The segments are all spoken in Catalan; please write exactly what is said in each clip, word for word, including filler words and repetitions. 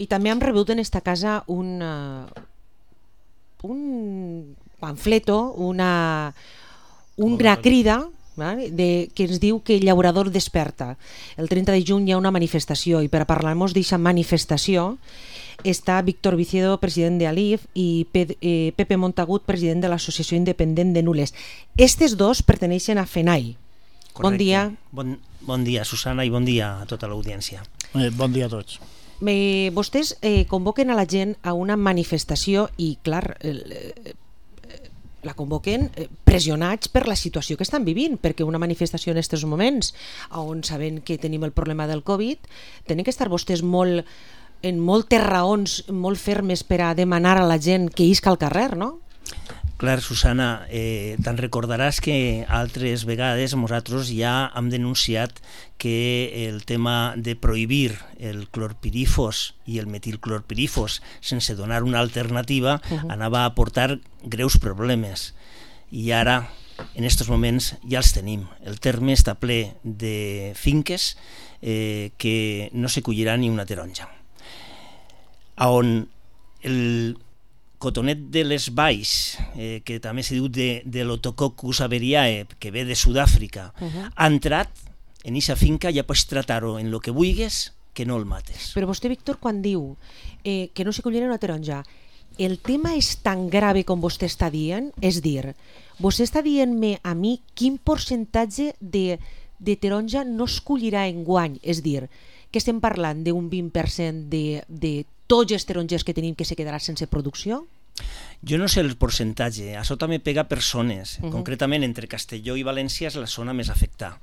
I també hem rebut en esta casa un, uh, un pamfleto, una, una crida de, que ens diu que el llaurador desperta. El trenta de juny hi ha una manifestació i per a parlar-nos d'aquesta manifestació està Víctor Vicedo, president de Alif, i Pepe Montagut, president de l'Associació Independent de Nules. Estes dos perteneixen a FENAI. Correcte. Bon dia. Bon, bon dia, Susana, i bon dia a tota l'audiència. Eh, bon dia a tots. Eh, vostès eh, convoquen a la gent a una manifestació i, clar, eh, la convoquen pressionats per la situació que estan vivint, perquè una manifestació en aquests moments, on sabem que tenim el problema del Covid, tenen que estar vostès molt, en moltes raons molt fermes per a demanar a la gent que isca al carrer, no? Clar, Susana, eh, te'n recordaràs que altres vegades nosaltres ja hem denunciat que el tema de prohibir el clorpirifos i el metilclorpirifos sense donar una alternativa uh-huh. anava a portar greus problemes. I ara, en aquests moments, ja els tenim. El terme està ple de finques eh, que no se collirà ni una taronja. On el cotonet de les valls, eh, que també se diu de, de l'Otococcus averiae, que ve de Sud-àfrica, uh-huh. ha entrat en aquesta finca i ja pots tratar-ho en el que vulguis, que no el mates. Però vostè, Víctor, quan diu eh, que no se collirà una taronja, el tema és tan grave com vostè està dient? És dir, vostè està dient-me a mi quin percentatge de, de taronja no es collirà enguany? És dir, que estem parlant d'un vint per cent de, de tots els tarongers que tenim que se quedarà sense producció? Jo no sé el percentatge, això també pega per zones. Uh-huh. Concretament, entre Castelló i València és la zona més afectada.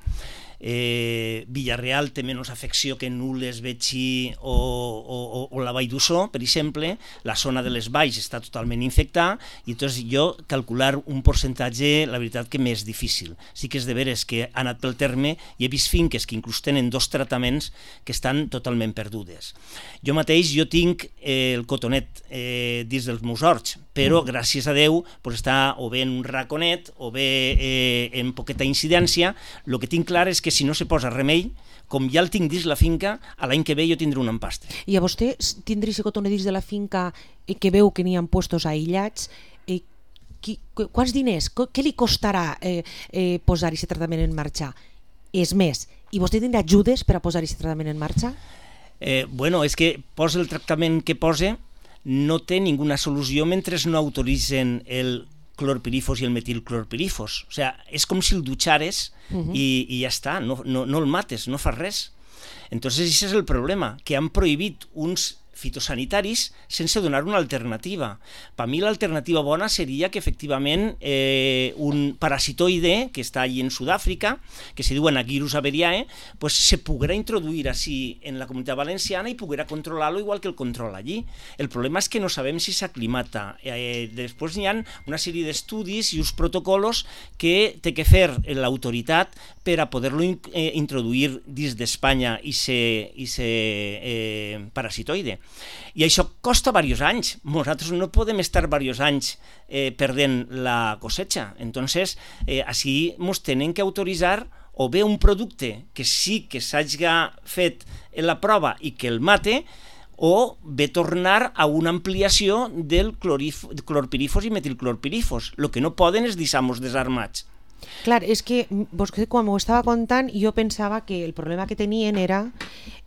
Eh, Villarreal té menys afecció que Nules, Betxí o, o, o la Vall d'Ussó, per exemple. La zona de les valls està totalment infectada i doncs jo calcular un percentatge, la veritat que m'és difícil. Sí que és de veres que ha anat pel terme i he vist finques que inclús tenen dos tractaments que estan totalment perdudes. Jo mateix jo tinc eh, el cotonet eh, dins dels meus horts, però mm. gràcies a Déu pues, està o bé en un raconet o bé eh, en poqueta incidència. El que tinc clar és que si no se posa remei, com ja el tinc dins la finca, a l'any que ve jo tindré un empastre. I a vostè tindré ese cotonet dins de la finca que veu que n'hi ha puestos aïllats, eh, qui, quants diners, què li costarà eh, eh, posar aquest tractament en marxa? És més, i vostè tindrà ajudes per a posar aquest tractament en marxa? Eh, bueno, és que posa el tractament que posa, no té ninguna solució mentre no autoritzen el clorpirifos i el metilclorpirifos. O sigui, és com si el dutxares uh-huh. i, i ja està, no, no, no el mates, no fas res. Entonces, aquest és el problema, que han prohibit uns fitosanitaris sense donar una alternativa. Per mi l'alternativa bona seria que efectivament eh, un parasitoide que està allí en Sud-àfrica, que se diu Anagirus averiae, pues se poguera introduir així en la comunitat valenciana i poguera controlar-lo igual que el controla allí. El problema és que no sabem si s'aclimata. Eh, després hi ha una sèrie d'estudis i uns protocols que té que fer l'autoritat per a poder-lo eh, introduir dins d'Espanya i ser eh, parasitoide. I això costa diversos anys. Nosaltres no podem estar diversos anys eh, perdent la cosecha. Entonces, eh, així ens tenen que autoritzar o bé un producte que sí que s'hagi fet en la prova i que el mate, o bé tornar a una ampliació del clorpirifos i metilclorpirifos. El que no poden és deixar-nos desarmats. Clar, és que vostè quan m'ho estava contant jo pensava que el problema que tenien era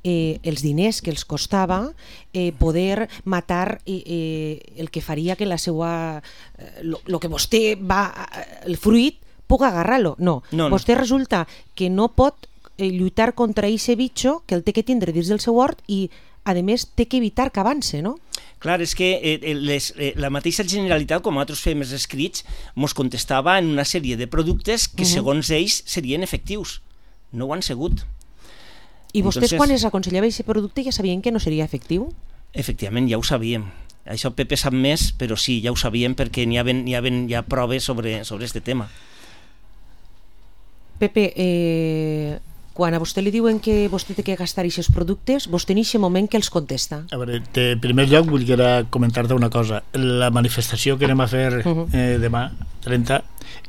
eh, els diners que els costava eh, poder matar eh, eh, el que faria que la seva el eh, que vostè va el fruit puc agarrar-lo. No, no, no. Vostè resulta que no pot eh, lluitar contra aquest bitxo que el té que tindre dins del seu hort i a més té que evitar que avance, no? Clar, és que eh, les, eh, la mateixa Generalitat, com nosaltres fem els escrits, ens contestava en una sèrie de productes que, uh-huh. segons ells, serien efectius. No ho han sigut. I vostès, Entonces, quan es aconsellava aquest producte, ja sabien que no seria efectiu? Efectivament, ja ho sabíem. Això Pepe sap més, però sí, ja ho sabíem perquè n'hi ha, n'hi ha, n'hi ha proves sobre, sobre este tema. Pepe, eh... quan a vostè li diuen que vostè té que gastar aquests productes, vostè en aquest moment que els contesta? A veure, en primer lloc vull comentar-te una cosa. La manifestació que anem a fer eh, demà, trenta,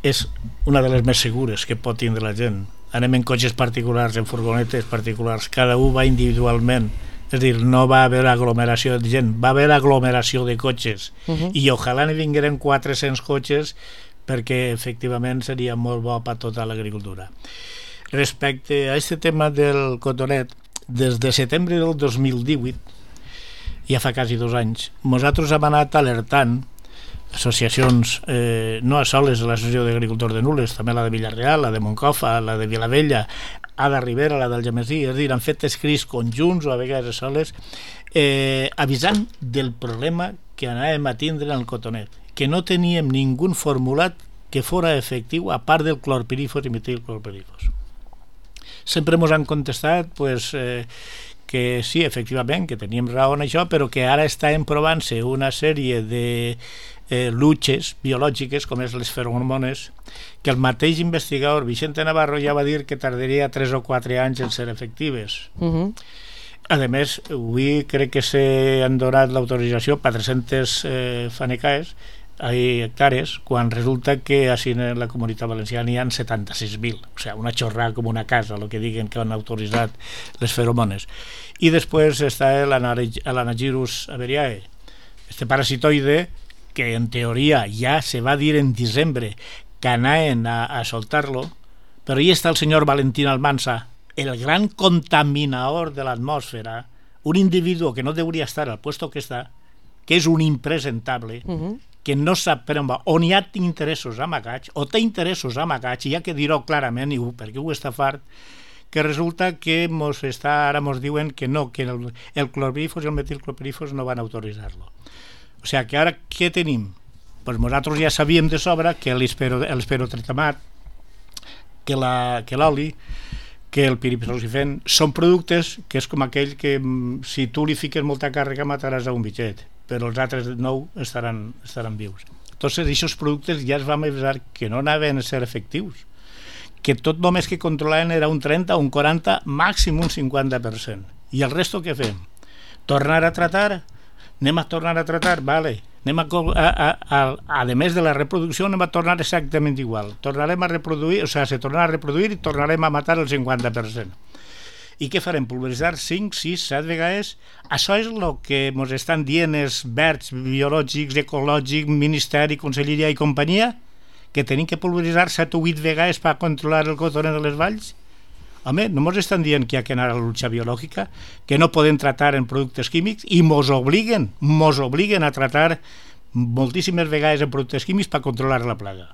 és una de les més segures que pot tindre la gent. Anem en cotxes particulars, en furgonetes particulars, cada un va individualment És a dir, no va haver aglomeració de gent, va haver aglomeració de cotxes, uh-huh. i ojalà n'hi vingueren quatre-cents cotxes perquè efectivament seria molt bo per tota l'agricultura. Respecte a aquest tema del cotonet, des de setembre del dos mil divuit, ja fa quasi dos anys, nosaltres hem anat alertant associacions, eh, no a soles l'Associació d'Agricultors de Nules, també la de Villarreal, la de Moncofa, la de Vilavella, a de Ribera, la del Gemesí, és a dir, han fet escrits conjunts o a vegades a soles, eh, avisant del problema que anàvem a tindre en el cotonet, que no teníem ningú formulat que fora efectiu a part del clorpirífos i metilclorpirífos. Sempre ens han contestat pues, eh, que sí, efectivament, que teníem raó en això, però que ara estan provant-se una sèrie de eh, luches biològiques, com és les feromones, que el mateix investigador Vicente Navarro ja va dir que tardaria tres o quatre anys en ser efectives. Uh-huh. A més, avui crec que s'han donat l'autorització per tres-centes eh, fanecaes, hectàrees, quan resulta que així en la Comunitat Valenciana hi ha setanta-sis mil, o sigui, una xorrada com una casa, el que diguen que han autoritzat les feromones. I després està l'Anagyrus averiae, este parasitoide que en teoria ja se va dir en desembre que anaven a, a soltar-lo, però hi està el senyor Valentín Almansa, el gran contaminador de l'atmosfera, un individu que no hauria estar al puesto que està, que és un impresentable, uh-huh. que no sap per on va, on hi ha interessos amagats, o té interessos amagats, i ja que dir-ho clarament, i perquè ho està fart, que resulta que mos està, ara ens diuen que no, que el, el clorpirífos i el metilclorpirífos no van autoritzar-lo. O sigui que ara què tenim? Pues nosaltres ja sabíem de sobre que l'esperotretamat, que l'oli, que el piriproxifen són productes que és com aquell que si tu li fiques molta càrrega mataràs a un bitxet, però els altres nou estaran, estaran vius. Entonces, aquests productes ja es vam avisar que no anaven a ser efectius, que tot només que controlaven era un trenta, un quaranta, màxim un cinquanta per cent. I el resto què fem? Tornar a tratar? Anem a tornar a tratar? Vale. Anem a, a, a, a, a més de la reproducció, anem a tornar exactament igual. Tornarem a reproduir, o sigui, se tornarà a reproduir i tornarem a matar el cinquanta per cent. I què farem? Pulveritzar cinc, sis, set vegades? Això és el que ens estan dient els verds biològics, ecològics, Ministeri, Conselleria i companyia, que tenim que pulveritzar set o vuit vegades per controlar el cotonet de les valls? Home, no ens estan dient que hi ha que anar a la lucha biològica, que no podem tratar en productes químics, i mos obliguen, mos obliguen a tratar moltíssimes vegades en productes químics per controlar la plaga.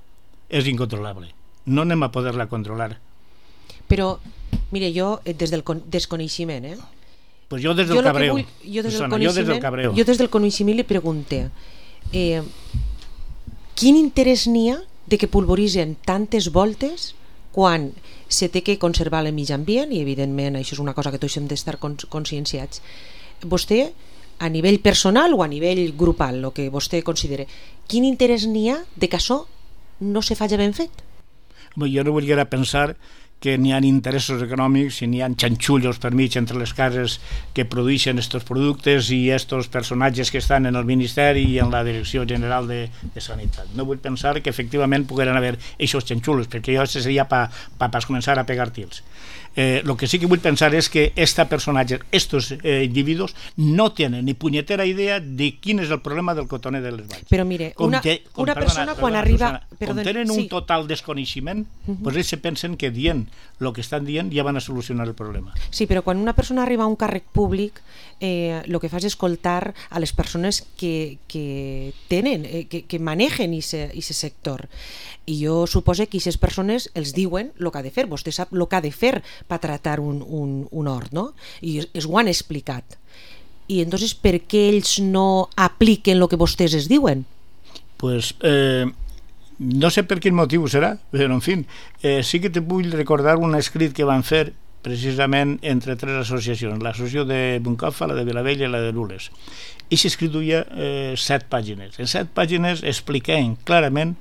És incontrolable. No anem a poder-la controlar. Però, mire, jo des del desconeixement, eh? Pues jo des del cabreo. Vull, jo, des Persona, jo des del cabreo. Jo des del coneixement li pregunte eh, quin interès n'hi ha de que pulveritzen tantes voltes quan se té que conservar el mig ambient, i evidentment això és una cosa que tots hem d'estar conscienciats. Vostè, a nivell personal o a nivell grupal, el que vostè considere, quin interès n'hi ha de que això no se faci ben fet? Jo no volia pensar que n'hi ha interessos econòmics i n'hi ha xanxullos per mig entre les cases que produeixen aquests productes i aquests personatges que estan en el Ministeri i en la Direcció General de, de Sanitat. No vull pensar que efectivament pogueren haver aquests xanxullos, perquè jo seria per pa, pa començar a pegar tirs. Eh, lo que sí que vull pensar és que este personatge, estos eh, individus no tenen ni punyetera idea de quin és el problema del cotonet de les valls. Però mire, com una, te, com, una perdona, persona quan perdona, arriba... Persona, perdona, com tenen sí. un total desconeixement, uh-huh. pues ells se pensen que dient el que estan dient ja van a solucionar el problema. Sí, però quan una persona arriba a un càrrec públic, eh, el que fa és escoltar a les persones que, que tenen, eh, que, que manegen aquest sector. I jo suposo que aquestes persones els diuen el que ha de fer. Vostè sap el que ha de fer per tratar un, un, un hort, no? I es ho han explicat. I entonces per què ells no apliquen el que vostès es diuen? Pues eh, no sé per quin motiu serà, però en fi, eh, sí que te vull recordar un escrit que van fer precisament entre tres associacions, l'associació de Moncofa, la de Vilavella i la de Nules. I s'escrit duia eh, set pàgines. En set pàgines expliquen clarament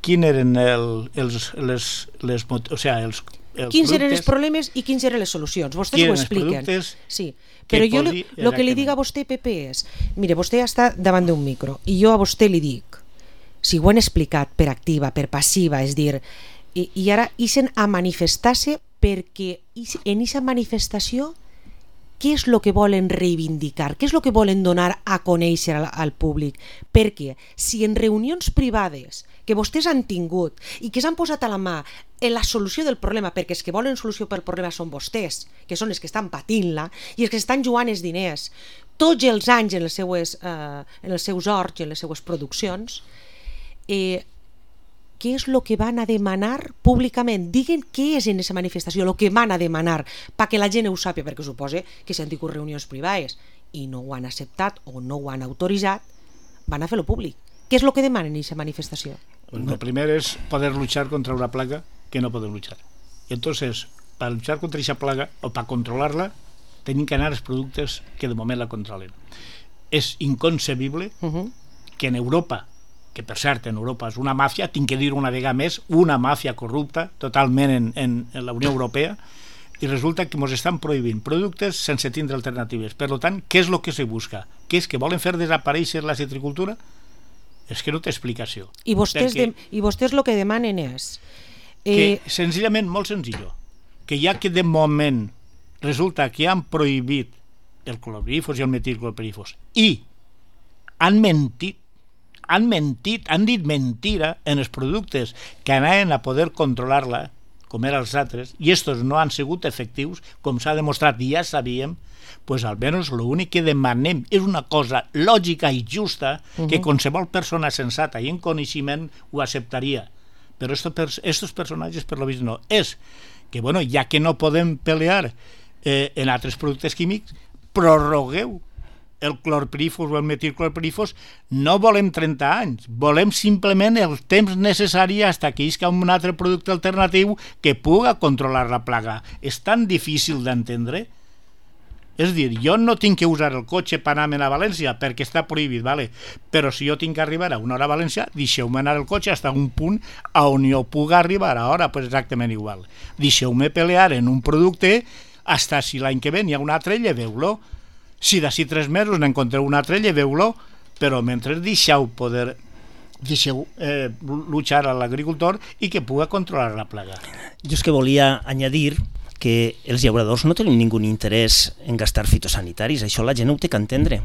quins eren el, els, les, les, o sigui, els, els quins eren els problemes i quins eren les solucions. Vostès ho expliquen. Sí. Però jo el que li dic a vostè, Pepe, és mire, vostè està davant d'un micro i jo a vostè li dic, si ho han explicat per activa, per passiva, és dir, i, i ara ixen a manifestar-se perquè en aquesta manifestació què és el que volen reivindicar, què és el que volen donar a conèixer al, al públic, perquè si en reunions privades que vostès han tingut i que s'han posat a la mà en la solució del problema, perquè els que volen solució pel problema són vostès, que són els que estan patint-la i els que estan jugant els diners tots els anys en els seus, eh, en els seus horts i en les seues produccions, eh, què és el que van a demanar públicament? Diguen què és en aquesta manifestació, el que van a demanar, perquè la gent ho sàpiga, perquè suposa que s'han tingut reunions privades i no ho han acceptat o no ho han autoritzat, van a fer-lo públic. Què és el que demanen en aquesta manifestació? Lo primero es poder luchar contra una plaga que no podem luchar. Y entonces, para luchar contra esa plaga o para controlarla, tienen que anar els productes que de moment la controlen. És inconcebible uh-huh. que en Europa, que per cert en Europa és una màfia, tinc que dir una vegada més, una màfia corrupta totalment en, en, en la Unió Europea, i resulta que ens estan prohibint productes sense tindre alternatives. Per tant, què és el que se busca? Què és que volen fer desaparèixer la citricultura? És que no té explicació. I vostès, Perquè, de, i vostès el que demanen és... Eh... Que, senzillament, molt senzill, que ja que de moment resulta que han prohibit el clorpirifos i el metilclorpirifos i han mentit, han mentit, han dit mentira en els productes que anaven a poder controlar-la, com eren els altres, i estos no han sigut efectius, com s'ha demostrat i ja sabíem, pues almenys l'únic que demanem és una cosa lògica i justa uh-huh. que qualsevol persona sensata i en coneixement ho acceptaria. Però estos, estos personatges, per lo vist, no. És que, bueno, ja que no podem pelear eh, en altres productes químics, prorrogueu el clorpirifos o el metilclorpirifos. No volem trenta anys, volem simplement el temps necessari fins que isca un altre producte alternatiu que puga controlar la plaga. És tan difícil d'entendre. És dir, jo no tinc que usar el cotxe per anar a València perquè està prohibit, vale? Però si jo tinc que arribar a una hora a València, deixeu-me anar el cotxe fins a un punt on jo puga arribar a hora, pues exactament igual. Deixeu-me pelear en un producte fins si l'any que ve hi ha un altre, lleveu-lo. Si d'ací tres mesos n'encontreu un altre, lleveu-lo, però mentre deixeu poder deixeu eh, luchar a l'agricultor i que puga controlar la plaga. Jo és que volia añadir que els llauradors no tenim ningú interès en gastar fitosanitaris, això la gent ho té que entendre.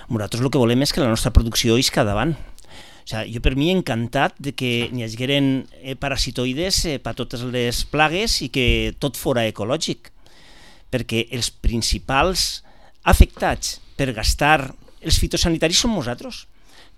Nosaltres el que volem és que la nostra producció isca davant. O sigui, jo per mi encantat de que n'hi hagueren eh, parasitoides eh, per totes les plagues i que tot fora ecològic, perquè els principals afectats per gastar els fitosanitaris som nosaltres,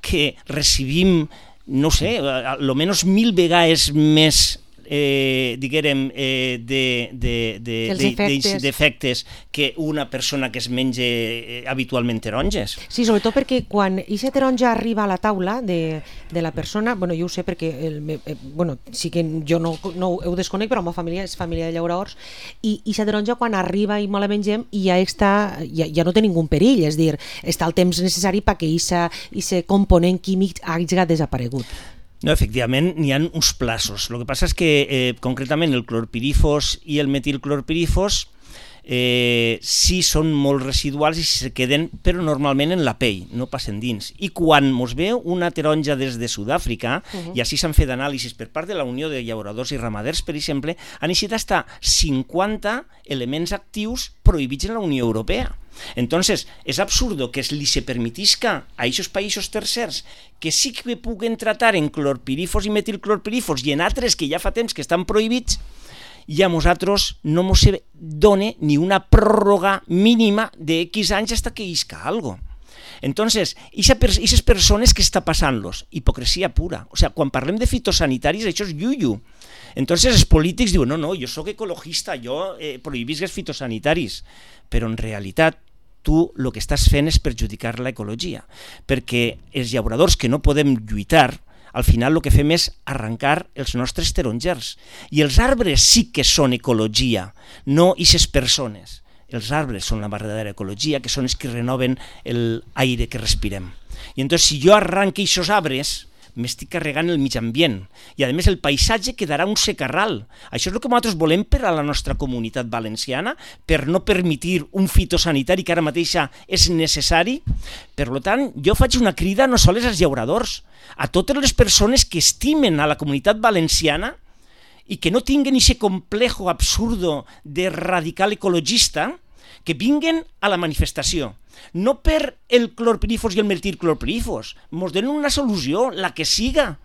que recibim, no sé, almenys mil vegades més eh, diguérem, eh, de, de, de, de, de, d'efectes que una persona que es menja eh, habitualment taronges. Sí, sobretot perquè quan aquesta taronja arriba a la taula de, de la persona, bueno, jo ho sé perquè el, eh, bueno, sí que jo no, no ho desconec, però la meva família és família de llauradors, i aquesta taronja quan arriba i me la mengem i ja, està, ja, ja no té ningú perill, és dir, està el temps necessari perquè aquest component químic hagi desaparegut. No, efectivament, n'hi ha uns plaços. El que passa és que, eh, concretament, el clorpirifos i el metilclorpirifos eh, sí són molt residuals i se queden, però normalment en la pell, no passen dins. I quan mos ve una taronja des de Sud-àfrica, uh-huh. i així s'han fet anàlisis per part de la Unió de Llauradors i Ramaders, per exemple, han eixit hasta cinquanta elements actius prohibits en la Unió Europea. Entonces, és absurdo que li se permetisca a aquests països tercers que sí que puguen tratar en clorpirifos i metilclorpirifos i en altres que ja fa temps que estan prohibits, i a nosaltres no ens dona ni una pròrroga mínima de X anys fins que isca algo. Entonces, aquestes persones que està passant-los? Hipocresia pura. O sea, quan parlem de fitosanitaris, això és yuyu. Entonces, els polítics diuen, no, no, jo sóc ecologista, jo eh, prohibisc els fitosanitaris. Però en realitat, tu el que estàs fent és perjudicar l'ecologia, perquè els llauradors que no podem lluitar, al final el que fem és arrencar els nostres tarongers. I els arbres sí que són ecologia, no aquestes persones. Els arbres són la verdadera ecologia, que són els que renoven l'aire que respirem. I entonces, si jo arranque aquests arbres, m'estic carregant el mig ambient. I a més el paisatge quedarà un secarral. Això és el que nosaltres volem per a la nostra comunitat valenciana, per no permetir un fitosanitari que ara mateix és necessari. Per tant, jo faig una crida no sols als llauradors, a totes les persones que estimen a la comunitat valenciana i que no tinguen aquest complejo absurdo de radical ecologista, que vinguen a la manifestació. No per el clorpirífos i el metilclorpirífos. Mos donen una solució, la que siga.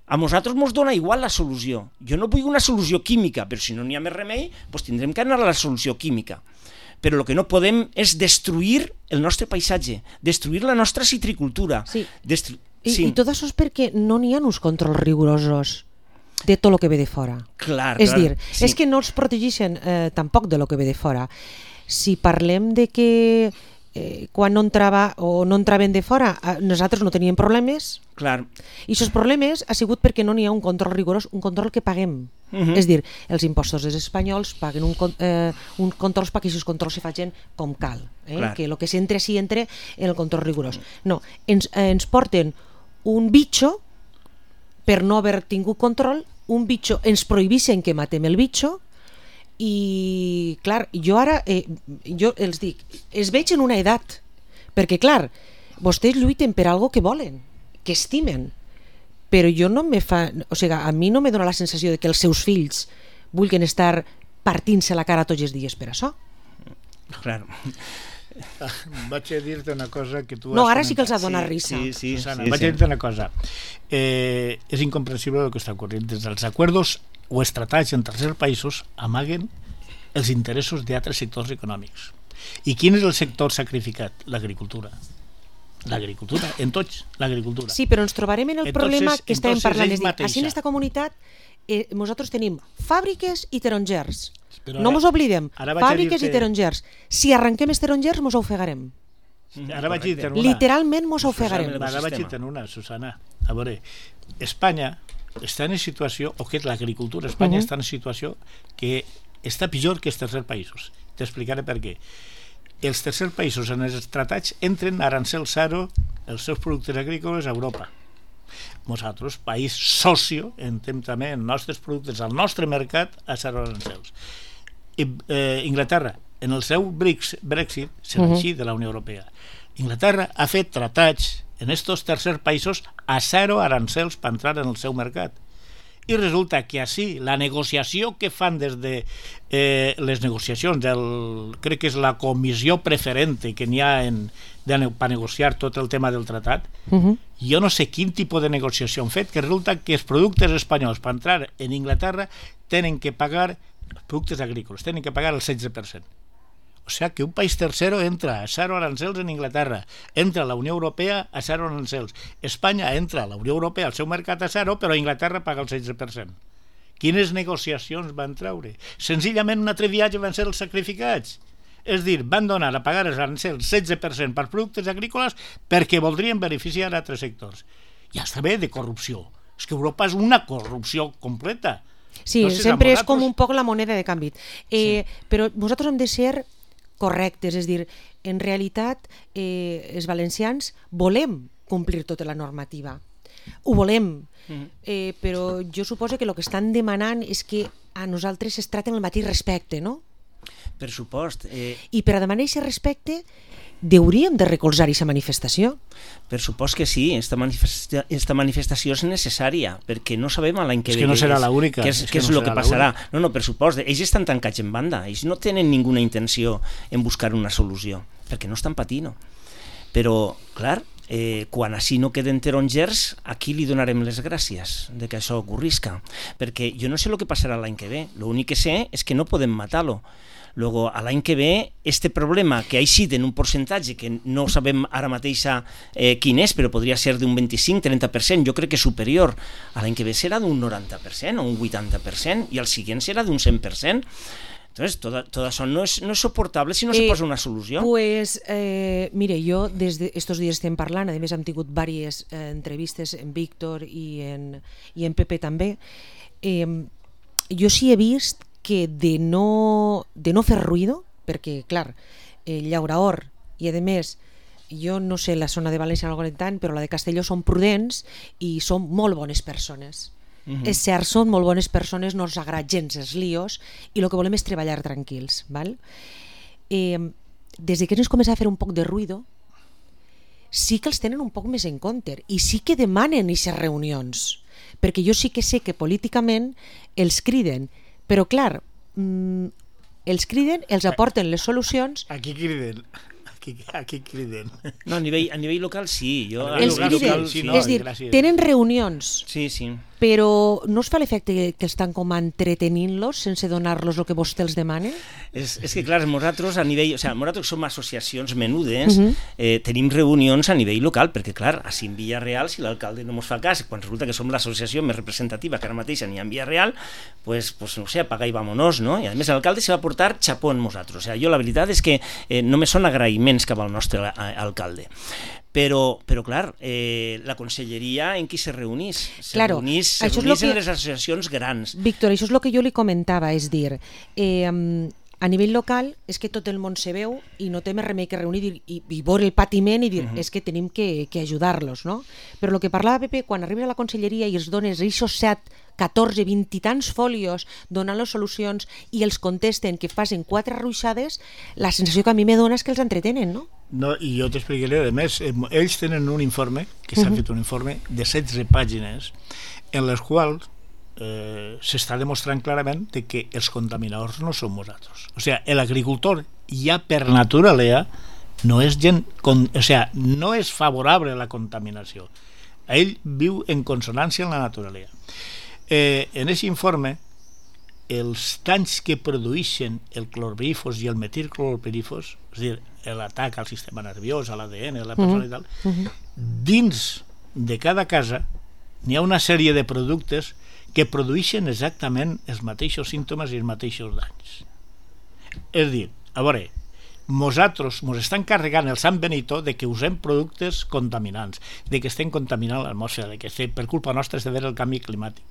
A nosaltres mos dona igual la solució. Jo no vull una solució química, però si no n'hi ha més remei, doncs tindrem que anar a la solució química. Però el que no podem és destruir el nostre paisatge, destruir la nostra citricultura. Sí. Destru... I, sí. I tot això és perquè no n'hi ha uns controls rigorosos de tot el que ve de fora. Clar, és clar, dir, sí. és que no els protegeixen eh, tampoc de lo que ve de fora. Si parlem de que eh, quan no entrava o no entraven de fora eh, nosaltres no teníem problemes, clar. i aquests problemes ha sigut perquè no n'hi ha un control rigorós, un control que paguem. Uh -huh. És dir, els impostos dels espanyols paguen un, eh, un controls perquè aquests controls se facin com cal, eh? Que el que s'entra sí entra en el control rigorós. No, ens, eh, ens porten un bitxo per no haver tingut control, un bitxo, ens prohibeixen que matem el bitxo, i clar, jo ara eh, jo els dic, es veig en una edat, perquè clar, vostès lluiten per algo que volen, que estimen, però jo no me fa, o sigui, a mi no me dona la sensació de que els seus fills vulguin estar partint-se la cara tots els dies per això. Clar. Vaig a dir-te una cosa que tu no, has ara sí que els ha Sí, donat risa. sí, sí, Susana, sí, vaig sí. a dir-te una cosa. Eh, és incomprensible el que està ocorrent. Des dels acords o els tractats en tercers països amaguen els interessos d'altres sectors econòmics. I quin és el sector sacrificat? L'agricultura. L'agricultura, en tots, l'agricultura. Sí, però ens trobarem en el Entonces, problema que estàvem entonces parlant. ell És dir, mateixa. així en aquesta comunitat eh, nosaltres tenim fàbriques i tarongers. Però No ara- mos oblidem, ara vaig a fàbriques dir-te- i tarongers. Si arrenquem els tarongers mos ofegarem. Ara vaig dir-te una. Literalment mos ofegarem. Ecosistema. Ara vaig dir-te una, Susana. A veure, Espanya està en situació, o que l'agricultura a Espanya Uh-huh. està en situació que està pitjor que els tercers països. T'explicaré per què. Els tercers països en els tractats entren arancel zero els seus productes agrícoles a Europa. Nosaltres, país socio, entrem també els nostres productes al nostre mercat a zero arancels. I, eh, Inglaterra, en el seu Brexit, se va Uh-huh. eixir de la Unió Europea. Inglaterra ha fet tractats en estos tercers països a zero arancels per entrar en el seu mercat. I resulta que així la negociació que fan des de eh, les negociacions del, crec que és la comissió preferente que n'hi ha en, de, per negociar tot el tema del tractat, Uh-huh. jo no sé quin tipus de negociació han fet, que resulta que els productes espanyols per entrar en Inglaterra tenen que pagar, els productes agrícoles tenen que pagar el setze per cent. O sigui que un país tercero entra a zero arancels en Inglaterra, entra a la Unió Europea a zero arancels. Espanya entra a la Unió Europea al seu mercat a zero, però Inglaterra paga el setze per cent. Quines negociacions van treure? Senzillament un altre viatge van ser els sacrificats. És dir, van donar a pagar els arancels setze per cent per productes agrícoles perquè voldrien beneficiar a altres sectors. Ja està bé de corrupció. És que Europa és una corrupció completa. Sí, No sé si sempre a és com vosaltres- un poc la moneda de canvi. Eh, Sí. Però nosaltres hem de ser correctes, és dir, en realitat eh, els valencians volem complir tota la normativa. Ho volem, eh, però jo suposo que el que estan demanant és que a nosaltres es tracten el mateix respecte, no? Per supost. Eh, I per a demanar aquest respecte hauríem de recolzar aquesta manifestació. per supost que sí, esta, manifesta esta manifestació és necessària, perquè no sabem a l'any que És ve... que no serà és- l'única, Què és, és què que és no el que serà passarà? No, no, per supost. Ells estan tancats en banda. Ells no tenen ninguna intenció en buscar una solució, perquè no estan patint. Però, clar, eh, quan així no queden tarongers, a qui li donarem les gràcies de que això ocorrisca? Perquè jo no sé el que passarà l'any que ve. L'únic que sé és que no podem matar-lo. Luego, a l'any que ve, este problema que ha eixit en un percentatge que no sabem ara mateix eh, quin és, però podria ser d'un vint-i-cinc trenta per cent, jo crec que superior, a l'any que ve serà d'un noranta per cent o un vuitanta per cent, i el següent serà d'un cent per cent. Entonces, tot, tot això no és, no és soportable si no eh, se posa una solució. Pues, eh, mire, jo des d'estos dies estem parlant, a més hem tingut diverses eh, entrevistes en Víctor i en, i en Pepe també, eh, jo sí he vist que de no, de no fer ruïdo, perquè, clar, eh, Llauraor, i a més, jo no sé la zona de València no la conec tant, però la de Castelló són prudents i són molt bones persones. Uh-huh. És cert, són molt bones persones, no ens agrada gens els líos i el que volem és treballar tranquils. Val? Eh, des de que ens comença a fer un poc de ruïdo, sí que els tenen un poc més en compte i sí que demanen aquestes reunions, perquè jo sí que sé que políticament els criden, però clar, mmm, els criden, els aporten les solucions. Aquí criden. Aquí, aquí criden. No, a nivell, a nivell local sí. Jo, Els criden, local, sí, no, és dir, gràcies. tenen reunions, Sí, sí. però no us fa l'efecte que, que estan com entretenint-los sense donar-los el que vostè els demana? És, és que, clar, nosaltres a nivell... O sigui, nosaltres som associacions menudes, Uh-huh. eh, tenim reunions a nivell local, perquè, clar, així en Villarreal, si l'alcalde no ens fa cas, quan resulta que som l'associació més representativa que ara mateix n'hi ha en Villarreal, pues, pues, no sé, apaga i vámonos, no? I a més l'alcalde se va portar xapó en nosaltres. O sigui, jo la veritat és que eh, només són agraïments cap al nostre a, alcalde. Però, però clar, eh, la conselleria en qui se reunís? Se Claro, reunís, se això és reunís lo en que- les associacions grans. Víctor, això és el que jo li comentava, és dir, eh, a nivell local és que tot el món se veu i no té més remei que reunir i, i, i veure el patiment i dir, uh-huh. és que tenim que, que ajudar-los, no? Però el que parlava Pepe, quan arribes a la conselleria i els dones aquests set, catorze, vint i tants folios donant les solucions i els contesten que facin quatre ruixades, la sensació que a mi me dona és que els entretenen, no? No, i jo t'explicaré, a més, ells tenen un informe, que s'ha uh-huh. fet un informe de setze pàgines, en les quals eh, s'està demostrant clarament de que els contaminadors no som nosaltres. O sigui, l'agricultor ja per naturalea no és gent, con, o sigui, no és favorable a la contaminació. Ell viu en consonància amb la naturalea. Eh, en aquest informe, els danys que produeixen el clorpirifos i el metilclorpirifos, és a dir, l'atac al sistema nerviós, a l'A D N, a la persona uh-huh. i tal, uh-huh. dins de cada casa n'hi ha una sèrie de productes que produeixen exactament els mateixos símptomes i els mateixos danys. És a dir, a veure, nosaltres ens estan carregant el Sant Benito de que usem productes contaminants, de que estem contaminant l'atmosfera, de que estem, per culpa nostra és de veure el canvi climàtic.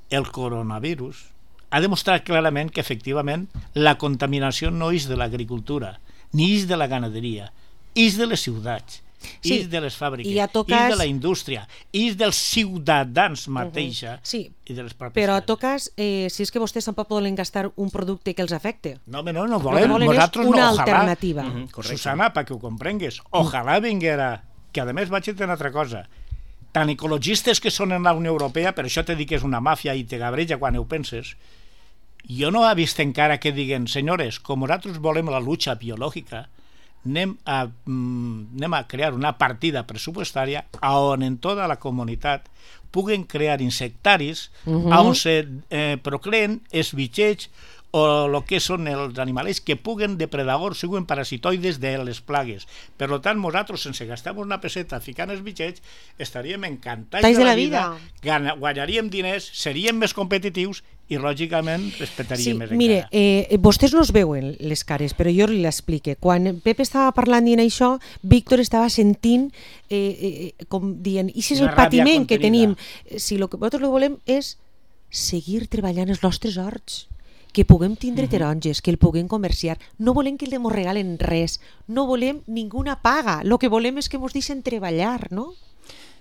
El coronavirus ha demostrat clarament que efectivament la contaminació no és de l'agricultura, ni és de la ganaderia, és de les ciutats, sí, és de les fàbriques, ja tocas... és de la indústria, és dels ciutadans mateixa, uh-huh. sí, i de les pròpies. Però a tocas, eh, si és que vostès tampoc poden gastar un producte que els afecte. No, no, no volem, nosaltres una no, alternativa. Ojalà, uh-huh, Susana, perquè ho comprengues, ojalà vinguera, que a més vaig dir una altra cosa, tan ecologistes que són en la Unió Europea, per això te dic que és una màfia i te gabreja quan ho penses, jo no he vist encara que diguen, senyores, com nosaltres volem la lucha biològica, anem a, mm, anem a crear una partida pressupostària on en tota la comunitat puguen crear insectaris uh-huh. on se eh, procreen els bitxets o el que són els animals que puguen depredadors, siguin parasitoides de les plagues. Per tant, nosaltres, sense gastar una peseta ficant els bitxets, estaríem encantats Tais de la, de la vida, vida. Guanyaríem diners, seríem més competitius i, lògicament, respectaríem sí, més encara. Mire, eh, vostès no es veuen les cares, però jo li l'explique. Quan Pepe estava parlant dient això, Víctor estava sentint, eh, eh, com dient, i si és el patiment que tenim, si el que nosaltres volem és seguir treballant els nostres horts, que puguem tindre uh-huh. taronges, que el puguem comerciar, no volem que els regalen res, no volem ninguna paga, el que volem és que ens deixen treballar, no?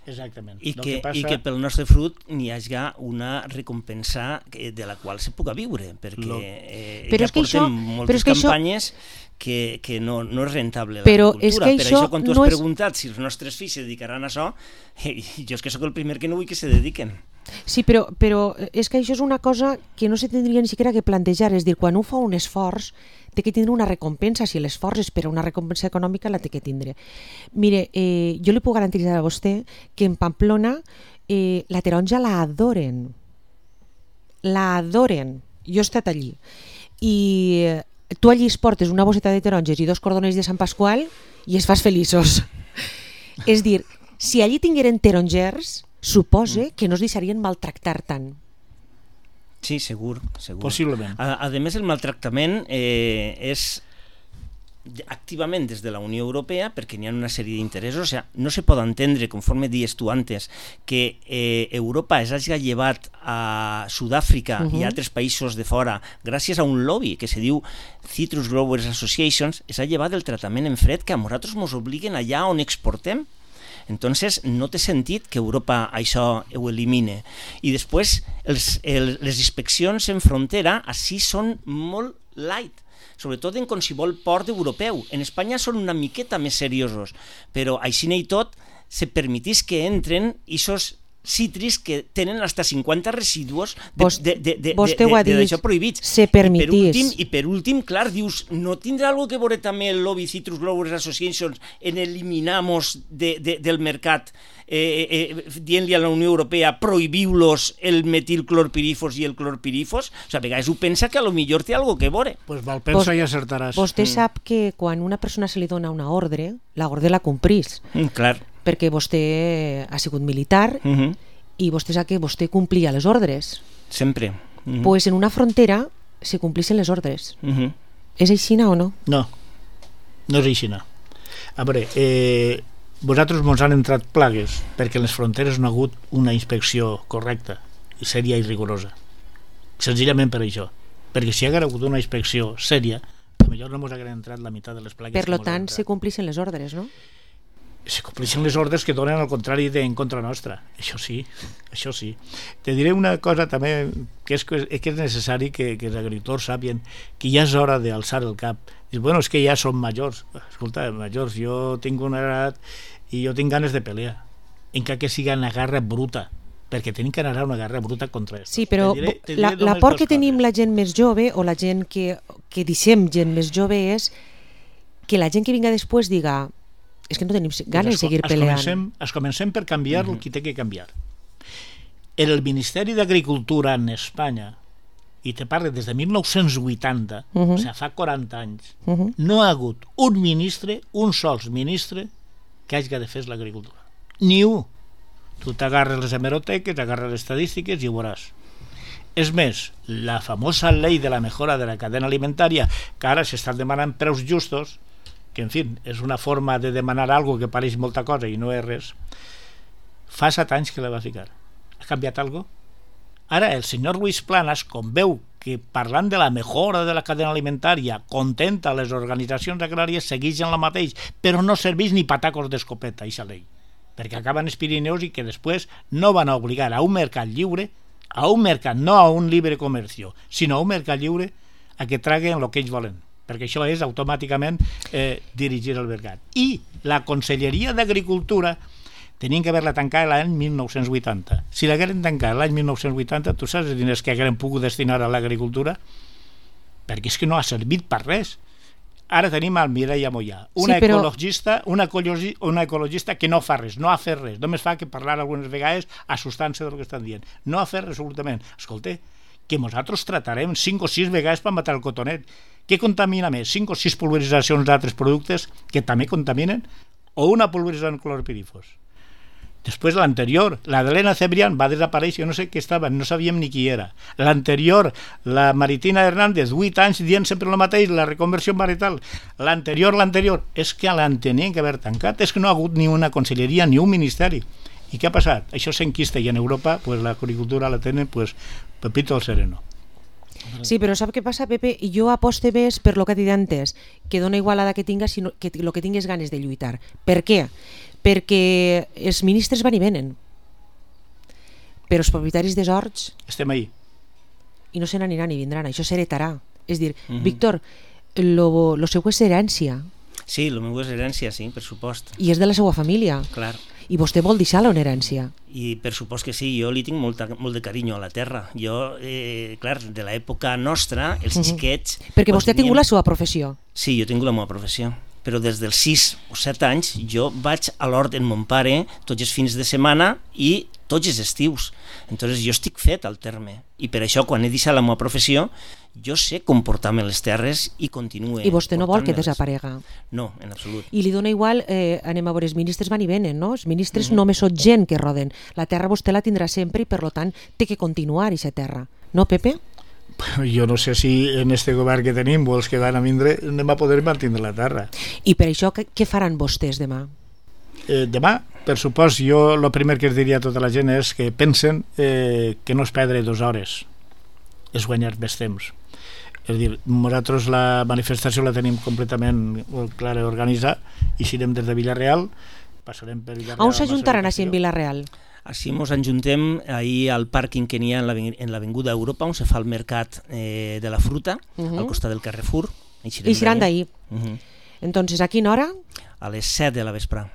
Exactament. I que, que passa... i que pel nostre fruit n'hi hagi una recompensa de la qual se puga viure, perquè no. eh, però ja és que portem això, moltes que campanyes això... que, que no, no és rentable però l'agricultura. És que per això això, quan tu no has és... preguntat si els nostres fills se dedicaran a això, eh, jo és que sóc el primer que no vull que se dediquen. Sí, però, però és que això és una cosa que no se tindria ni siquiera que plantejar, és dir, quan un fa un esforç té que tindre una recompensa, si l'esforç és per a una recompensa econòmica la té que tindre. Mire, eh, jo li puc garantir a vostè que en Pamplona eh, la taronja la adoren, la adoren, jo he estat allí, i eh, tu allí es portes una bosseta de taronges i dos cordoners de Sant Pasqual i es fas feliços. És dir, si allí tingueren tarongers, supose que no es deixarien maltractar tant. Sí, segur, segur. Possiblement. A, a més, el maltractament eh, és activament des de la Unió Europea, perquè n'hi ha una sèrie d'interessos. O sigui, no se pot entendre, conforme dies tu antes, que eh, Europa es hagi llevat a Sud-àfrica uh-huh. i a altres països de fora gràcies a un lobby que se diu Citrus Growers Associations, es ha llevat el tractament en fred que a nosaltres ens obliguen allà on exportem. Entonces no té sentit que Europa això ho elimine. I després els, el, les inspeccions en frontera així són molt light, sobretot en qualsevol port europeu. En Espanya són una miqueta més seriosos, però així i tot se permetís que entren aquests cítrics que tenen hasta cinquanta residus Vos, de, de, de, vostè de, ho ha de, de, dit, d'això prohibits. se I per permitís. últim, i per últim, clar, dius, no tindrà algo que veure també el Lobby Citrus Growers Association en eliminamos de, de, del mercat eh, eh, dient-li a la Unió Europea prohibiu-los el metilclorpirifos i el clorpirifos? O sigui, a vegades ho pensa que a lo millor té algo que veure. Pues mal pensa i acertaràs. Vostè mm. sap que quan una persona se li dona una ordre, la ordre la complís. Mm, clar. Perquè vostè ha sigut militar Uh -huh. i vostè sap que vostè complia les ordres. Sempre. Uh -huh. Pues en una frontera se complissin les ordres. Uh -huh. És aixina o no? No, no és aixina. A veure, eh, vosaltres mos han entrat plagues perquè en les fronteres no ha hagut una inspecció correcta, sèria i rigorosa. Senzillament per això. Perquè si hi hagués hagut una inspecció sèria, potser no mos hagueren entrat la meitat de les plagues. Per lo tant, se complissin les ordres, no? Se compleixen les ordres que donen al contrari de en contra nostra. Això sí, això sí. Te diré una cosa també, que és, que és necessari que, que els agricultors sàpien que ja és hora d'alçar el cap. Dius, bueno, és que ja som majors. Escolta, majors, jo tinc una edat i jo tinc ganes de pelear. Encara que siga una guerra bruta, perquè tenim que anar a una guerra bruta contra això. Sí, però te diré, te diré la, la por que coses. tenim la gent més jove, o la gent que, que deixem gent més jove, és que la gent que vinga després diga és que no tenim ganes de seguir es peleant. Comencem, es comencem per canviar uh -huh. el que té que canviar. El Ministeri d'Agricultura en Espanya, i te parlo des de mil nou-cents vuitanta, uh -huh. o sigui, fa quaranta anys, uh -huh. no ha hagut un ministre, un sols ministre, que hagi de fer l'agricultura. Ni un. Tu t'agarres les hemeroteques, agarres les estadístiques i ho veuràs. És més, la famosa llei de la mejora de la cadena alimentària, que ara s'estan demanant preus justos, que en fi, és una forma de demanar algo que pareix molta cosa i no és res, fa set anys que la va ficar. Ha canviat algo? Ara el senyor Luis Planas, com veu que parlant de la mejora de la cadena alimentària contenta les organitzacions agràries, segueix en la mateix, però no serveix ni patacos d'escopeta, aquesta llei, perquè acaben els Pirineus i que després no van a obligar a un mercat lliure, a un mercat, no a un libre comercio, sinó a un mercat lliure a que traguen el que ells volen, perquè això és automàticament eh, dirigir el mercat. I la Conselleria d'Agricultura tenien que haver-la tancat l'any mil nou-cents vuitanta. Si l'hagueren tancat l'any mil nou-cents vuitanta, tu saps els diners que hagueren pogut destinar a l'agricultura? Perquè és que no ha servit per res. Ara tenim el Mireia Mollà, una, sí, però... ecologista, una, ecologi, una ecologista que no fa res, no ha fet res, només fa que parlar algunes vegades assustant-se del que estan dient. No ha fet res absolutament. Escolta, que nosaltres tratarem cinc o sis vegades per matar el cotonet. Què contamina més? cinc o sis pulveritzacions d'altres productes que també contaminen? O una pulverització en clorpirifos? Després l'anterior, la d'Helena Cebrián va desaparèixer, no sé què estava, no sabíem ni qui era. L'anterior, la Maritina Hernández, vuit anys dient sempre el mateix, la reconversió marital. L'anterior, l'anterior, és que l'han tenien que haver tancat, és que no ha hagut ni una conselleria ni un ministeri. I què ha passat? Això s'enquista i en Europa pues, l'agricultura la tenen pues, Pepito el sereno. Sí, però sap què passa, Pepe? Jo aposte més per lo que he dit antes, que dona igual l'edat que tingues, sinó que el que tingues ganes de lluitar. Per què? Perquè els ministres van i venen, però els propietaris dels horts estem ahí i no se n'aniran ni vindran, això s'heretarà. És dir, uh -huh. Víctor, lo, lo seu és herència. Sí, el meu és herència, sí, per supost. I és de la seva família. Clar. I vostè vol deixar-la una herència. I per supost que sí, jo li tinc molta, molt de carinyo a la terra. Jo, eh, clar, de l'època nostra, els uh -huh. xiquets... Perquè vostè teníem... ha tingut la seva professió. Sí, jo he tingut la meva professió. Però des dels sis o set anys jo vaig a l'hort en mon pare tots els fins de setmana i tots els estius. Entonces jo estic fet al terme. I per això, quan he deixat la meva professió, jo sé comportar-me les terres i continuo. I vostè no vol que desaparega? No, en absolut. I li dona igual, eh, anem a veure, els ministres van i venen, no? Els ministres uh -huh. només són gent que roden. La terra vostè la tindrà sempre i, per tant, té que continuar aquesta terra. No, Pepe? Jo no sé si en este govern que tenim o els que van a vindre anem a poder mantenir la terra. I per això què faran vostès demà? Eh, demà, per supòs, jo el primer que es diria a tota la gent és que pensen eh, que no es perdre dues hores, és guanyar més temps. És a dir, nosaltres la manifestació la tenim completament clara organitzada i si anem des de Villarreal, passarem per Villarreal. On s'ajuntaran així en Villarreal? Així ens ajuntem ahir al pàrquing que n'hi ha en l'Avinguda Europa, on se fa el mercat eh, de la fruta, uh -huh. al costat del Carrefour. I seran d'ahir. Uh -huh. Entonces, a quina hora? A les set de la vesprà.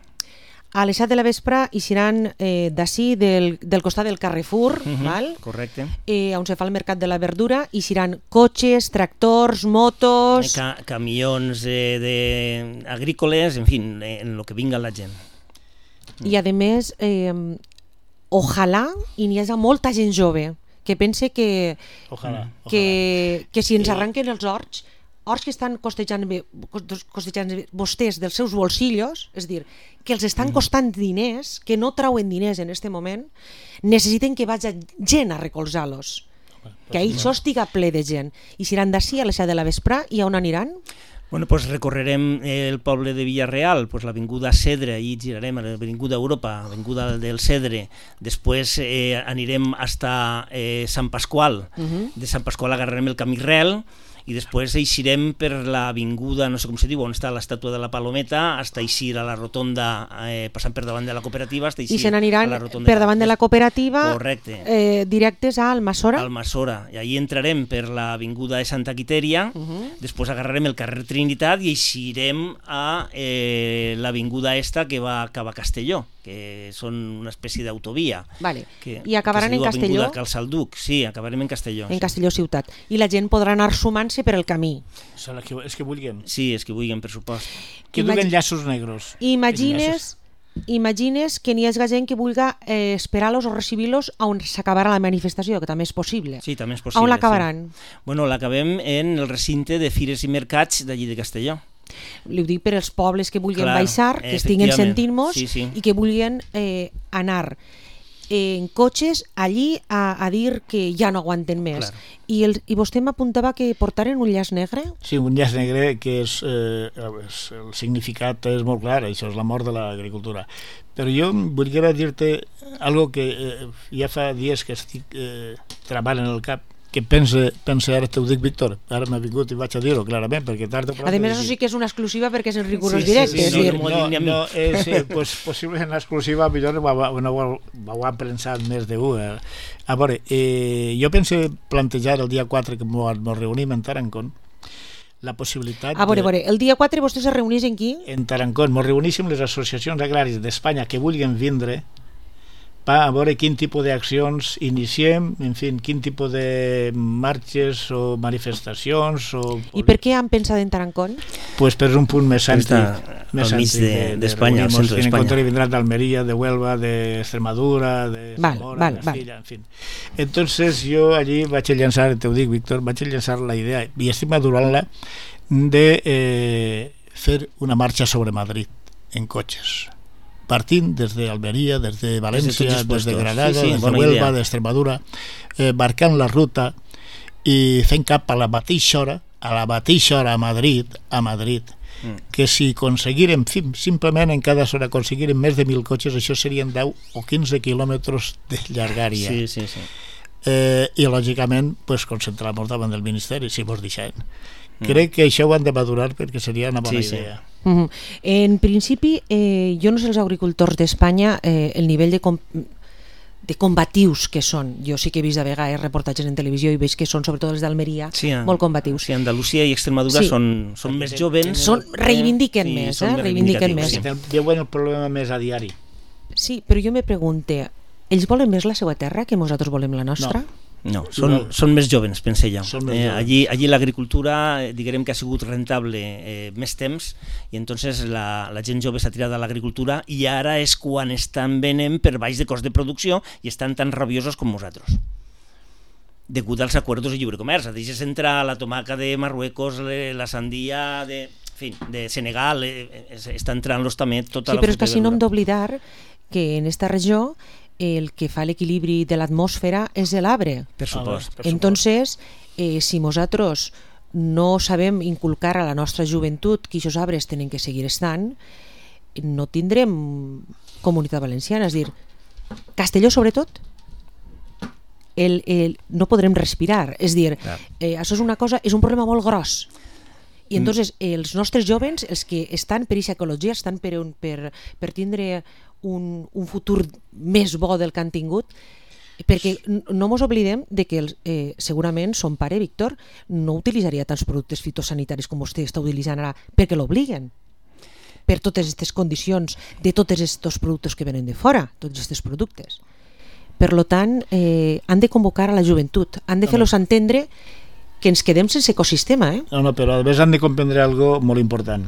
a les set de la vespre hi seran eh, d'ací, del, del costat del Carrefour, Uh-huh, val? correcte. Eh, on se fa el mercat de la verdura, hi seran cotxes, tractors, motos... Ca camions eh, de agrícoles, en fi, en lo que vinga la gent. I a més, eh, ojalà i n'hi hagi molta gent jove que pense que, Ojalà, que, que si ens arranquen els horts, horts que estan costejant, bé, costejant vostès dels seus bolsillos, és dir, que els estan costant diners, que no trauen diners en aquest moment, necessiten que vagi gent a recolzar-los. Que això estiga ple de gent. I si iran d'ací a les set de la vespre, i on aniran? Bueno, pues recorrerem el poble de Villarreal, pues l'avinguda Cedre, i girarem a l'avinguda Europa, l'avinguda del Cedre, després eh, anirem hasta eh, Sant Pasqual, Uh-huh. de Sant Pasqual agarrarem el camí Rel, i després eixirem per l'avinguda, no sé com se diu, on està l'estàtua de la Palometa, hasta eixir a la rotonda, eh, passant per davant de la cooperativa, hasta I eixir se n'aniran a la rotonda. per davant de la cooperativa, Correcte. eh, directes a Almassora. Almassora, i ahí entrarem per l'avinguda de Santa Quitèria, Uh-huh. després agarrarem el carrer Trinitat i eixirem a eh, l'avinguda esta que va cap a Castelló, que són una espècie d'autovia. Vale. Que, I acabaran que se diu en Castelló? Avinguda Cal Salduc, sí, acabarem en Castelló. En sí. Castelló ciutat. I la gent podrà anar sumant-se per el camí. Són els que, els que vulguin. Sí, és que vulguin, per supost. Que Imagi- duguen llaços negros. Imagines, imagines que n'hi hagi gent que vulgui eh, esperar-los o recibir-los on s'acabarà la manifestació, que també és possible. Sí, també és possible. On l'acabaran? Sí. Bueno, l'acabem en el recinte de Fires i Mercats d'allí de Castelló. Li ho dic per als pobles que vulguin Clar, baixar, que estiguen efectivament. sentint-nos Sí, sí. i que vulguin eh, anar en cotxes allí a, a dir que ja no aguanten més. Clar. I, el, I vostè m'apuntava que portaren un llaç negre? Sí, un llaç negre que és, eh, és, el significat és molt clar, això és la mort de l'agricultura. Però jo volia dir-te algo que eh, ja fa dies que estic eh, treballant en el cap, que pense, pense ara t'ho dic, Víctor, ara m'ha vingut i vaig a dir-ho clarament, perquè tard o A més, això sí que és una exclusiva perquè és en rigorós Sí, directe. sí, és sí, dir, no, no, no, eh, sí, pues, possiblement l'exclusiva millor no ho, no ho, ho han pensat més d'un. Eh. A veure, eh, jo penso plantejar el dia quatre que ens reunim en Tarancón la possibilitat a veure, de, a veure, el dia quatre vostès es reuneixen aquí? en Tarancón, ens reuníssim les associacions agràries d'Espanya que vulguin vindre per a veure quin tipus d'accions iniciem, en fi, quin tipus de marxes o manifestacions o... I per què han pensat en Tarancón? Pues per un punt més cèntric, Està més al mig cèntric de- de, d'Espanya, al centre en d'Espanya. compte vindran d'Almeria, de Huelva, de Extremadura, de Val, Zamora, val, de val. Castilla, en fin. Entonces jo allí vaig a llançar, te ho dic, Víctor, vaig a llançar la idea, i estic madurant-la, de eh, fer una marxa sobre Madrid en cotxes, partint des d'Almeria, des de València, tots els des de puestos. Granada, Sí, sí, des de bona Huelva, idea. d'Extremadura, eh, marcant la ruta i fent cap a la mateixa hora, a la mateixa hora a Madrid, a Madrid, Mm. que si aconseguirem simplement en cada zona aconseguirem més de mil cotxes, això serien deu o quinze quilòmetres de llargària. Sí, sí, sí. Eh, i lògicament pues, concentrar-nos davant del Ministeri si mos deixen. Crec que això ho han de madurar perquè seria una bona Sí, sí. idea. Uh -huh. En principi, eh, jo no sé els agricultors d'Espanya eh, el nivell de, com de combatius que són. Jo sí que he vist de vegades reportatges en televisió i veig que són, sobretot els d'Almeria, Sí, a- molt combatius. Sí, Andalusia i Extremadura Sí. són, són més jovens. Són, reivindiquen Sí, més, són eh? més reivindiquen reivindicatius, més. sí. Veuen el problema més a diari. Sí, però jo me pregunte, ells volen més la seva terra que nosaltres volem la nostra? No, són, són més jovens, pense jo. Són més Eh, joves. allí allí l'agricultura, eh, diguem que ha sigut rentable eh, més temps i entonces la, la gent jove s'ha tirat a l'agricultura i ara és quan estan venent per baix de cost de producció i estan tan rabiosos com nosaltres. Degut als acords de lliure comerç. Deixes entrar la tomaca de Marruecos, le- la sandia de, en fi, de Senegal, eh, eh, està entrant-los també tota Sí, la però és fruita que i si no hem verdura. d'oblidar que en esta regió el que fa l'equilibri de l'atmosfera és l'arbre. Per supost. Per Entonces, eh, si nosaltres no sabem inculcar a la nostra joventut que aquests arbres tenen que seguir estant, no tindrem comunitat valenciana. És a dir, Castelló sobretot, el, el, no podrem respirar. És a dir, Clar. eh, això és una cosa, és un problema molt gros. I entonces els nostres jovens, els que estan per aquesta ecologia, estan per, un, per, per tindre un, un futur més bo del que han tingut, perquè n- no mos oblidem de que els, eh, segurament son pare, Víctor, no utilitzaria tants productes fitosanitaris com vostè està utilitzant ara perquè l'obliguen. per totes aquestes condicions de tots aquests productes que venen de fora, tots aquests productes. Per tant, eh, han de convocar a la joventut, han de fer-los entendre que ens quedem sense ecosistema. Eh? No, no, però a més han de comprendre algo molt important,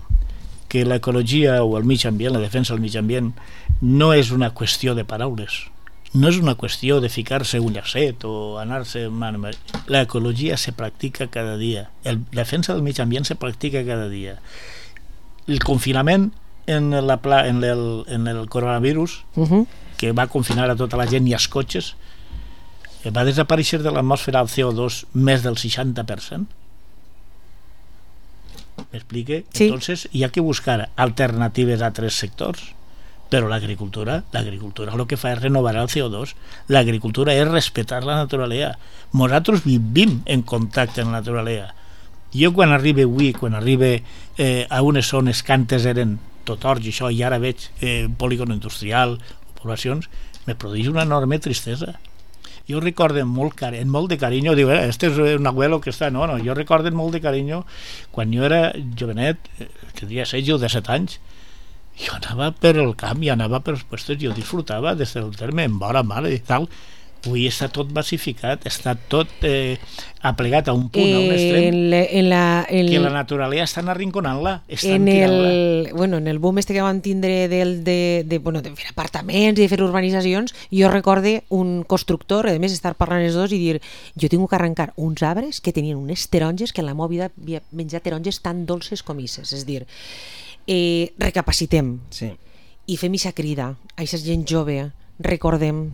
que l'ecologia o el mig ambient, la defensa del mig ambient, no és una qüestió de paraules, no és una qüestió de ficar-se un llacet o anar-se... L'ecologia se practica cada dia, la defensa del mig ambient se practica cada dia. El confinament en, la pla, en, el, en el coronavirus, uh-huh. que va confinar a tota la gent i als cotxes, va desaparèixer de l'atmosfera el C O dos més del seixanta per cent. ¿M'explique? Sí. Entonces hi ha que buscar alternatives a tres sectors, però l'agricultura, l'agricultura el que fa és renovar el C O dos. L'agricultura és respetar la naturalesa. Nosaltres vivim en contacte amb la naturalesa. Jo quan arribe avui, quan arribe eh, a unes zones que antes eren tot orge, això, i ara veig eh, polígon industrial, poblacions, me produeix una enorme tristesa. Jo recordo molt, car amb molt de carinyo, diu, eh, este és un abuelo que està... No, no, jo recordo molt de carinyo quan jo era jovenet, tenia setze o disset anys, jo anava per el camp i anava per els puestos, jo disfrutava des del terme, en vora mare i tal. Avui està tot massificat, està tot eh, aplegat a un punt, eh, a un extrem, en la, en la, en que la naturalesa estan arrinconant-la, estan tirant-la. Bueno, en el boom este que vam tindre del, de, de, bueno, de fer apartaments i de fer urbanitzacions, jo recorde un constructor, a més estar parlant els dos i dir, jo tinc que arrencar uns arbres que tenien unes taronges que en la meva vida havia menjat taronges tan dolces com isses, és dir, eh, recapacitem sí. i fem ixa crida a aquesta gent jove, recordem,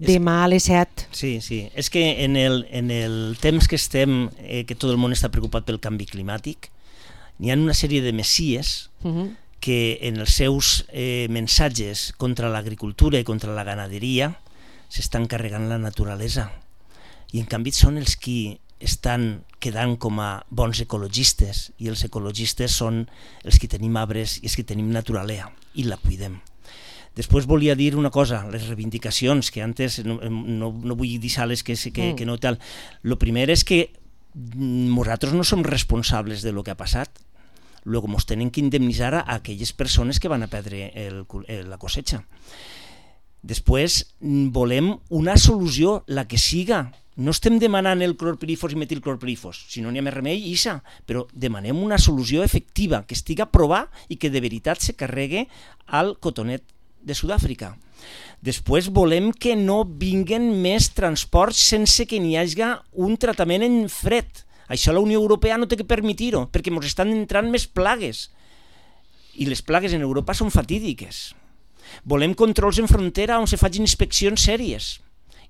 demà a les set. Sí, sí, és que en el, en el temps que estem, eh, que tot el món està preocupat pel canvi climàtic, n'hi ha una sèrie de messies uh-huh. que en els seus eh, mensatges contra l'agricultura i contra la ganaderia s'estan carregant la naturalesa, i en canvi són els qui estan quedant com a bons ecologistes, i els ecologistes són els que tenim arbres i els que tenim naturalesa i la cuidem. Després volia dir una cosa, les reivindicacions, que antes no, no, no vull deixar-les que, que, mm. que no tal. Lo primer és que nosaltres no som responsables de lo que ha passat. Luego ens tenen que indemnitzar a aquelles persones que van a perdre el, el, la cosecha. Després volem una solució, la que siga. No estem demanant el clorpirifos i metilclorpirifos, si no n'hi ha més remei, ixa, però demanem una solució efectiva, que estigui a provar i que de veritat se carregue al cotonet de Sud-àfrica. Després volem que no vinguen més transports sense que n'hi hagi un tractament en fred. Això la Unió Europea no té que permetir-ho, perquè ens estan entrant més plagues. I les plagues en Europa són fatídiques. Volem controls en frontera on se facin inspeccions sèries.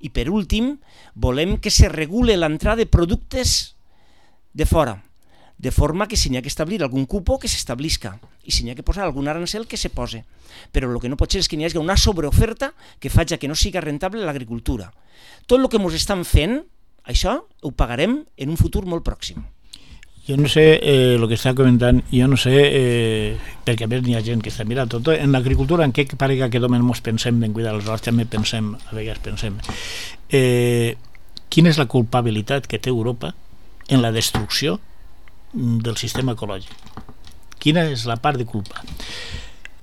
I per últim, volem que se regule l'entrada de productes de fora, de forma que si n'hi ha que establir algun cupo, que s'establisca, i si n'hi ha que posar algun arancel, que se pose. Però el que no pot ser és que n'hi hagi una sobreoferta que faci que no siga rentable l'agricultura. Tot el que ens estan fent, això ho pagarem en un futur molt pròxim. Jo no sé, eh, el que està comentant, jo no sé, eh, perquè a més n'hi ha gent que està mirant tot, en l'agricultura, en què parega que només ens pensem en cuidar els horts, també pensem, a vegades pensem, eh, quina és la culpabilitat que té Europa en la destrucció del sistema ecològic? Quina és la part de culpa?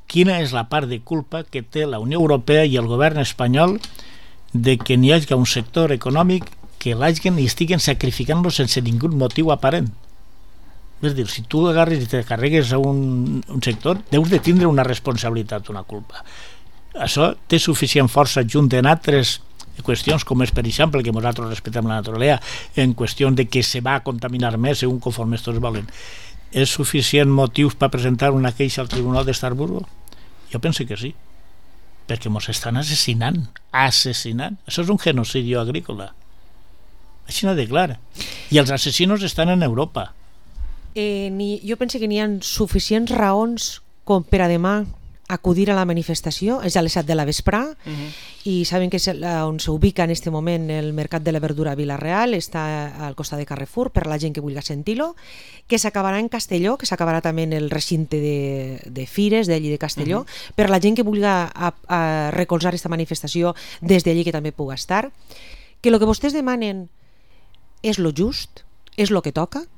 Quina és la part de culpa que té la Unió Europea i el govern espanyol de que n'hi hagi un sector econòmic que l'hagin i estiguen sacrificant-lo sense ningun motiu aparent? És dir, si tu agarres i te carregues a un, un sector, deus de tindre una responsabilitat, una culpa. Això té suficient força junt en altres qüestions, com és, per exemple, que nosaltres respectem la naturalesa, en qüestions de que se va a contaminar més segons conforme tots volen. És suficient motius per presentar una queixa al Tribunal d'Estrasburgo? Jo penso que sí, perquè ens estan assassinant, assassinant. Això és un genocidi agrícola. Així no de clar. I els assassinos estan en Europa. Eh, ni, jo penso que n'hi ha suficients raons com per a demà acudir a la manifestació. És a les set de la vesprà uh-huh. i saben que és on s'ubica en este moment el Mercat de la Verdura a Vila-real, està al costat de Carrefour per la gent que vulgui sentir-lo, que s'acabarà en Castelló, que s'acabarà també en el recinte de, de Fires d'allí de Castelló, uh-huh. per la gent que vulgui a, a recolzar aquesta manifestació des d'allí, que també pugui estar, que el que vostès demanen és lo just, és lo que toca,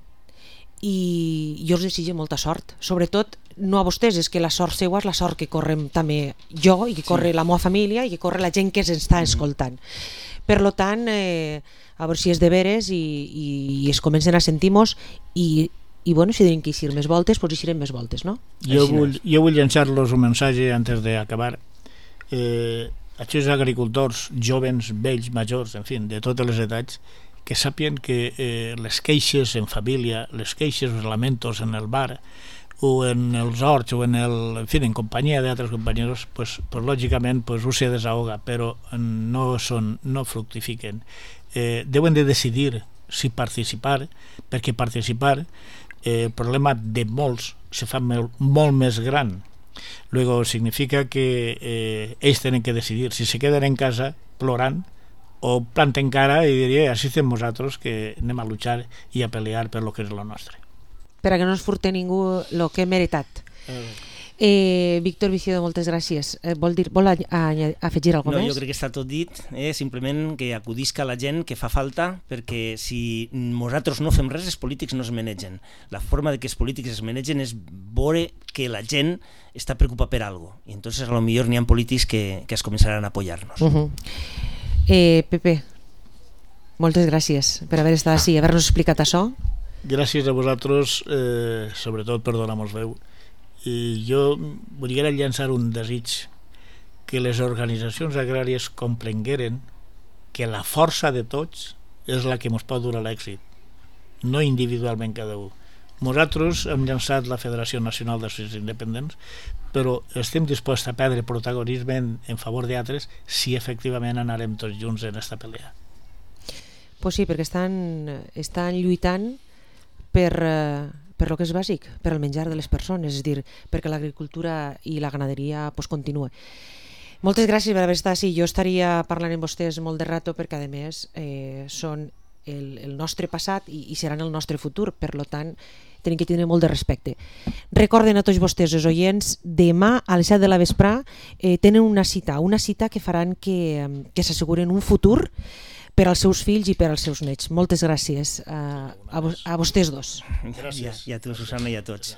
i jo us desitjo molta sort, sobretot no a vostès, és que la sort seua és la sort que correm també jo i que corre sí. la meva família i que corre la gent que ens està escoltant. Per lo tant, eh, a veure si és de veres i, i, i es comencen a sentir-nos i, i bueno, si tenen que eixir més voltes, doncs eixirem més voltes, no? Jo vull, jo vull llançar-los un missatge antes d'acabar. Eh, aquests agricultors joves, vells, majors, en fi, de totes les edats, que sàpien que eh, les queixes en família, les queixes, els lamentos en el bar o en els horts o en, el, en, fi, en companyia d'altres companys, pues, pues, lògicament pues, ho se desahoga, però no, són, no fructifiquen. Eh, deuen de decidir si participar, perquè participar eh, el problema de molts se fa molt, molt més gran. Luego significa que eh, ells tenen que decidir si se queden en casa plorant o planten cara i diria, així estem nosaltres que anem a luchar i a pelear per lo que és lo nostre. Per a que no ens furte ningú el que hem meritat. Eh. Eh, Víctor Viciodo, moltes gràcies. Eh, vol dir, vol a, a, a afegir alguna cosa no, més? Jo crec que està tot dit, eh? Simplement que acudisca la gent que fa falta, perquè si nosaltres no fem res, els polítics no es manegen. La forma de que els polítics es manegen és veure que la gent està preocupada per alguna cosa. I entonces a lo millor n'hi ha polítics que, que es començaran a apoyar-nos. Uh -huh. eh, Pepe, moltes gràcies per haver estat així, haver-nos explicat això. Gràcies a vosaltres, eh, sobretot per donar-nos veu. I jo volia llançar un desig, que les organitzacions agràries comprengueren que la força de tots és la que ens pot dur a l'èxit, no individualment cada un. Nosaltres hem llançat la Federació Nacional d'Associacions Independents, però estem disposats a perdre protagonisme en, en favor d'altres si efectivament anarem tots junts en aquesta pelea. Pues sí, perquè estan, estan lluitant per... Eh... per lo que és bàsic, per al menjar de les persones, és a dir, perquè l'agricultura i la ganaderia pues, continua. Moltes gràcies per haver estat així. Jo estaria parlant amb vostès molt de rato perquè, a més, eh, són el, el nostre passat i, i seran el nostre futur, per lo tant, tenen que tindre molt de respecte. Recorden a tots vostès, els oients, demà a les set de la vesprà eh, tenen una cita, una cita que faran que, que s'asseguren un futur per als seus fills i per als seus nets. Moltes gràcies a, a, a vostès dos. Gràcies. I a tu, Susana, i a tots.